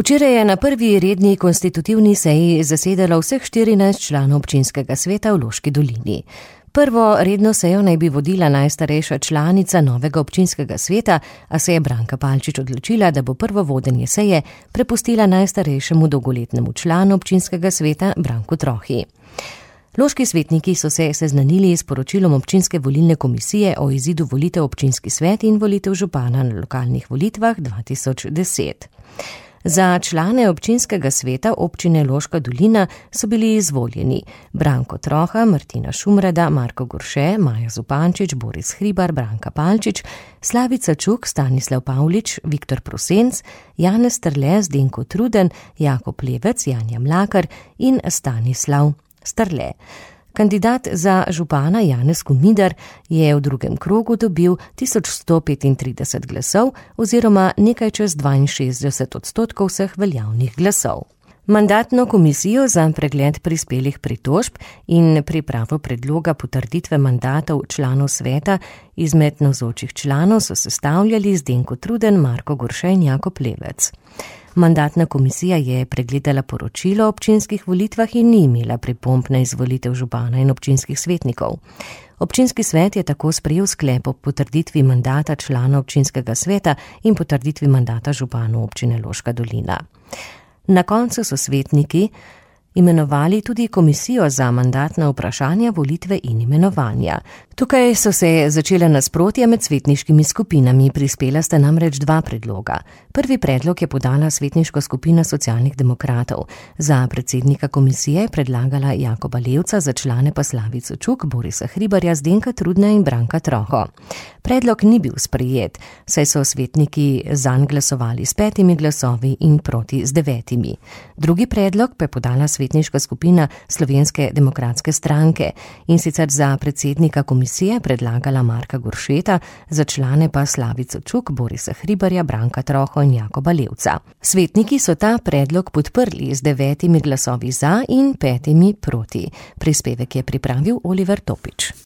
Včeraj je na prvi redni konstitutivni seji zasedalo vseh 14 članov občinskega sveta v Loški dolini. Prvo redno sejo naj bi vodila najstarejša članica novega občinskega sveta, a se je Branka Palčič odločila, da bo prvo vodenje seje prepustila najstarejšemu dolgoletnemu članu občinskega sveta Branku Trohi. Loški svetniki so se seznanili s poročilom občinske volilne komisije o izidu volitev občinski svet in volitev župana na lokalnih volitvah 2010. Za člane občinskega sveta občine Loška dolina so bili izvoljeni Branko Troha, Martina Šumrada, Marko Gorše, Maja Zupančič, Boris Hribar, Branka Palčič, Slavica Čuk, Stanislav Pavlič, Viktor Prosenc, Janez Strle, Zdenko Truden, Jakob Levec, Janja Mlakar in Stanislav Strle. Kandidat za župana Janez Komidar je v drugem krogu dobil 1135 glasov oziroma nekaj čez 62% vseh veljavnih glasov. Mandatno komisijo za pregled prispelih pritožb in pripravo predloga potrditve mandatov članov sveta izmed navzočih članov so sestavljali Zdenko Truden, Marko Gorše in Jakob Levec. Mandatna komisija je pregledala poročilo o občinskih volitvah in ni imela pripomb na izvolitev župana in občinskih svetnikov. Občinski svet je tako sprejel sklep o potrditvi mandata člana občinskega sveta in potrditvi mandata županu občine Loška dolina. Na koncu so svetniki imenovali tudi komisijo za mandatna vprašanja, volitve in imenovanja. Tukaj so se začele nasprotja med svetniškimi skupinami, prispela sta namreč dva predloga. Prvi predlog je podala svetniška skupina Socialnih demokratov. Za predsednika komisije je predlagala Jakoba Levca, za člane pa Slavico Čuk, Borisa Hribarja, Zdenka Trudna in Branka Troho. Predlog ni bil sprejet, saj so svetniki zanj glasovali s 5 glasovi in proti z 9. Drugi predlog pa je podala svetniška skupina Slovenske demokratske stranke in sicer za predsednika komisije predlagala Marka Goršeta, za člane pa Slavico Čuk, Borisa Hribarja, Branka Troho in Jakoba Levca. Svetniki so ta predlog podprli z 9 glasovi za in 5 proti. Prispevek je pripravil Oliver Topič.